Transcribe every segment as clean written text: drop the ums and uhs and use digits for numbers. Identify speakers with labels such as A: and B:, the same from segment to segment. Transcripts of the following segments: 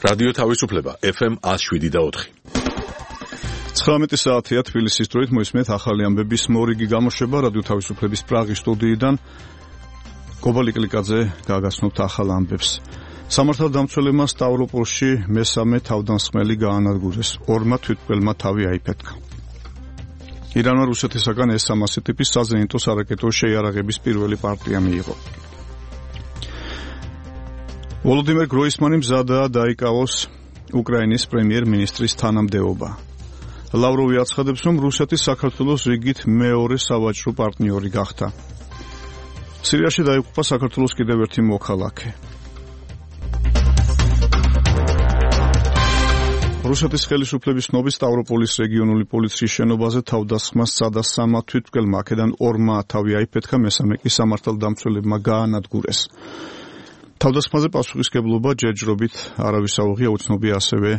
A: რადიო თავისუფლება FM 107.4.
B: 19 საათია თბილისის დროით მოისმენთ ახალი ამბების მორიგი გამოშვება რადიო თავისუფლების პრაღის სტუდიიდან. გობალი კლიკაძე გაგაცნობთ ახალ ამბებს. სამართალდამცველებმა სტავროპოლში მესამე თავდამსხმელი გაანადგურეს. ორმა თვითმკვლელმა თავი აიფეთქა. ირანმა რუსეთისაგან S-300 ტიპის საზენიტო სარაკეტო შეიარაღების პირველი პარტია მიიღო. ვოლოდიმირ გროისმანი მზადაა დაიკავოს უკრაინის პრემიერ-მინისტრის თანამდებობა. ლავროვი აცხადებს, რომ რუსეთი საქართველოს რიგით მეორე სავაჭრო პარტნიორი გახდა. სირიაში დაიღუპა საქართველოს კიდევ ერთი მოქალაქე. რუსეთის ხელისუფლების ცნობით სტავროპოლის რეგიონული პოლიციის შენობაზე თავდასხმას სცადა 3 თვითმკვლელმა, აქედან 2-მა თავი აიფეთქა, მესამე კი სამართალდამცველებმა გაანადგურეს. თავდასხმაზე პასუხისმგებლობა ჯერჯერობით არავის აუღია, უცნობია ასევე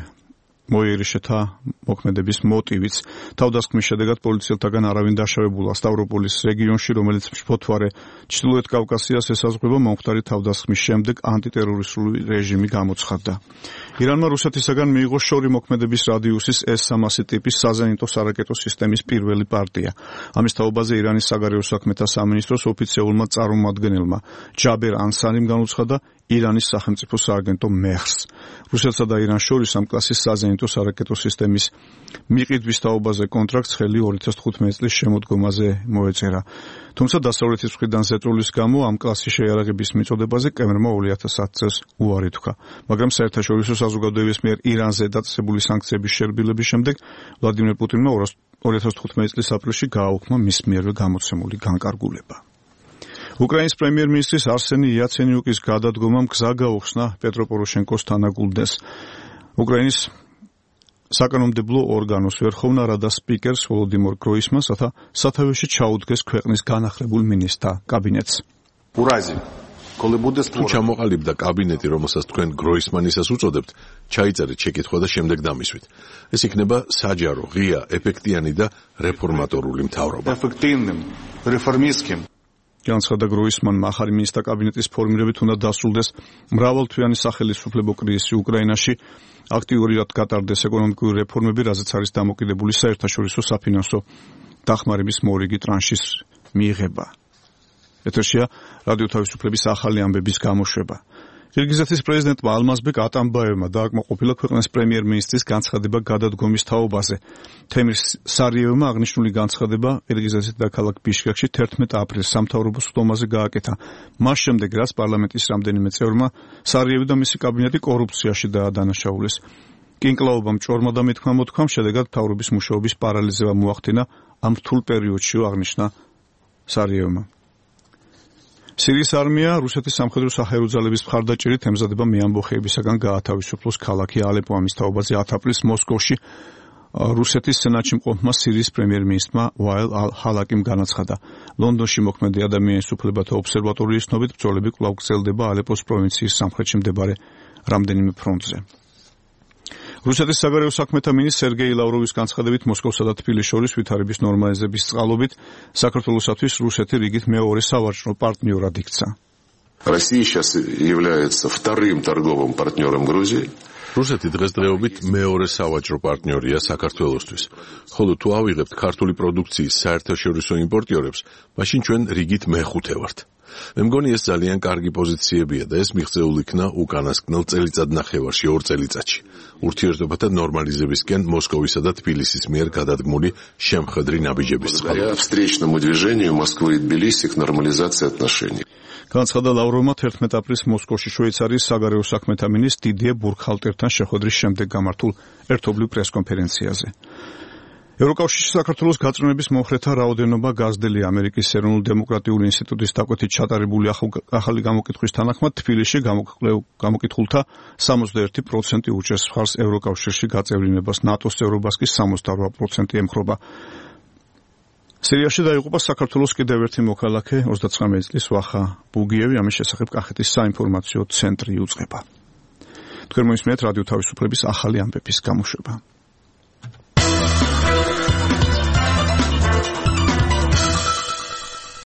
B: მოიერიშეთა მოქმედების მოტივიც. თავდასხმის შედეგად პოლიციელთაგან არავინ დაშავებულა. სტავროპოლის რეგიონში, რომელიც მშფოთვარე ჩრდილოეთ კავკასიას ესაზღვრება, მომხდარი თავდასხმის შემდეგ ანტიტერორისტული რეჟიმი გამოცხადდა. ირანმა რუსეთისაგან მიიღო შორი მოქმედების რადიუსის S-300 ტიპის საზენიტო სარაკეტო სისტემის პირველი პარტია. ამის თაობაზე ირანის საგარეო საქმეთა სამინისტროს ოფიციალურმა წარმომადგენელმა ჯაბერ ანსარიმ განუცხადა ირანის სახელმწიფო სააგენტო მეხს. რუსეთსა და ირანს შორის ამ კლასის საზენიტო სარაკეტო სისტემის მიყიდვის თაობაზე კონტრაქტს ხელი 2015 წლის შემოდგომაზე მოეწერა. თუმცა დასავლეთის მხრიდან ზეწოლის გამო ამ კლასის შეიარაღების მიწოდებაზე კემერმა 2010 წელს უარი თქვა. მაგრამ საერთაშორისო საზოგადოების მიერ ირანზე დაწესებული სანქციების შერბილების შემდეგ ვლადიმერ პუტინმა 2015 წლის აპრილში გააუქმა მის მიერვე გამოცემული განკარგულება. უკრაინის პრემიერ-მინისტრის არსენი იაცენიუკის გადადგომამ გზა გაუხსნა პეტრო პოროშენკოს თანაგულდენს. უკრაინის საკანონმდებლო ორგანოს ვერხოვნა რადას სპიკერს ვოლოდიმირ გროისმანს სათავეში ჩაუდგეს ქვეყნის განახლებულ მინისტრთა კაბინეტს.
A: თუ ჩამოყალიბდა კაბინეტი, რომელსაც თქვენ გროისმანისას უწოდებთ, ჩაიწერეთ შეკითხვა და შემდეგ დამისვით. ეს იქნება საჯარო, ღია, ეფექტიანი და რეფორმატორული მთავრობა.
B: განცხადა გროისმანმა, ახალი მინისტრთა კაბინეტის ფორმირებით უნდა დასრულდეს მრავალთვიანი სახელისუფლებო კრიზისი უკრაინაში, აქტიურად გატარდეს ეკონომიკური რეფორმები, რაზეც არის დამოკიდებული საერთაშორისო საფინანსო დახმარების მორიგი ტრანშის მიღება. ეთერშია რადიო თავისუფლების ახალი ამბების გამოშვება. ყირგიზეთის პრეზიდენტმა ალმაზბეკ ატამბაევმა დააკმაყოფილა ქვეყნის პრემიერ-მინისტრის განცხადება გადადგომის თაობაზე. თემირ სარიევმა აღნიშნული განცხადება ყირგიზეთის დედაქალაქ ბიშკეკში 11 აპრილს სამთავრობო სხდომაზე გააკეთა. მას შემდეგ, რაც პარლამენტის რამდენიმე წევრმა სარიევი და მისი კაბინეტი კორუფციაში დაადანაშაულეს. კინკლაობამ ჭორმა და მითქმა მოთქვამ, შედეგად მთავრობის მუშაობის პარალიზება მოახდინა ამ რთულ პერიოდში, აღნიშნა სარიევმა. სირიის არმია რუსეთის სამხედრო საჰაერო ძალების მხარდაჭერით ემზადება მეამბოხეებისაგან გაათავისუფლოს ქალაქი ალეპო. ამის თაობაზე 10 აპრილს მოსკოვში რუსეთის სენატში მყოფმა სირიის პრემიერ-მინისტრმა ვაილ ალ-ჰალაკიმ განაცხადა. ლონდონში მოქმედი ადამიანის უფლებათა ობსერვატორიის ცნობით ბრძოლები კვლავ გრძელდება ალეპოს პროვინციის სამხრეთში მდებარე რამდენიმე ფრონტზე. რუსეთის საგარეო საქმეთა მინისტრ სერგეი ლავროვის განცხადებით, მოსკოვსა და თბილისს შორის ვითარების ნორმალიზების წყალობით საქართველოსათვის რუსეთი რიგით მეორე სავაჭრო პარტნიორად იქცა.
C: Россия сейчас является вторым торговым партнером Грузии.
A: რუსეთი დღესდღეობით მეორე სავაჭრო პარტნიორია საქართველოსთვის. ხოლო თუ ავიღებთ ქართული პროდუქციის საერთაშორისო იმპორტიორებს, მაშინ ჩვენ რიგით მეხუთე ვართ. მე მგონი ეს ძალიან კარგი პოზიციებია და ეს მიღწეულ იქნა უკანასკნელ წელიწადნახევარში, 2 წელიწადში. ურთიერთობათა ნორმალიზებისკენ მოსკოვისა და თბილისის მიერ გადადგმული შემხედრი ნაბიჯების წყალობით.
C: Встречному движению Москвы и Тбилиси к нормализации отношений.
B: განცხადა ლავროვმა 11 აპრილს მოსკოვში შვეიცარიის საგარეო საქმეთა მინისტრ დიდიე ბურგჰალტერთან შეხვედრის შემდეგ გამართულ ერთობლივ პრესკონფერენციაზე. ევროკავშირში საქართველოს გაწმენების მომხრეთა რაოდენობა გაზრდილია. ამერიკის ეროვნულ დემოკრატიული ინსტიტუტის დაკვეთით ჩატარებული ახალი გამოკითხვის თანახმად თბილისში გამოკითხულთა 61% უჭერს მხარს ევროკავშირში გაწევრიანებას, ნატოს წევრობას კი 68% ემხრობა. სირიაში დაიღუპა საქართველოს კიდევ ერთი მოქალაქე 39 წლის ვახა ბუგიევი. ამის შესახებ კახეთის საინფორმაციო ცენტრი უწყება. თქვენ მოისმენთ რადიო თავისუფლების ახალი ამბების გამოშვება.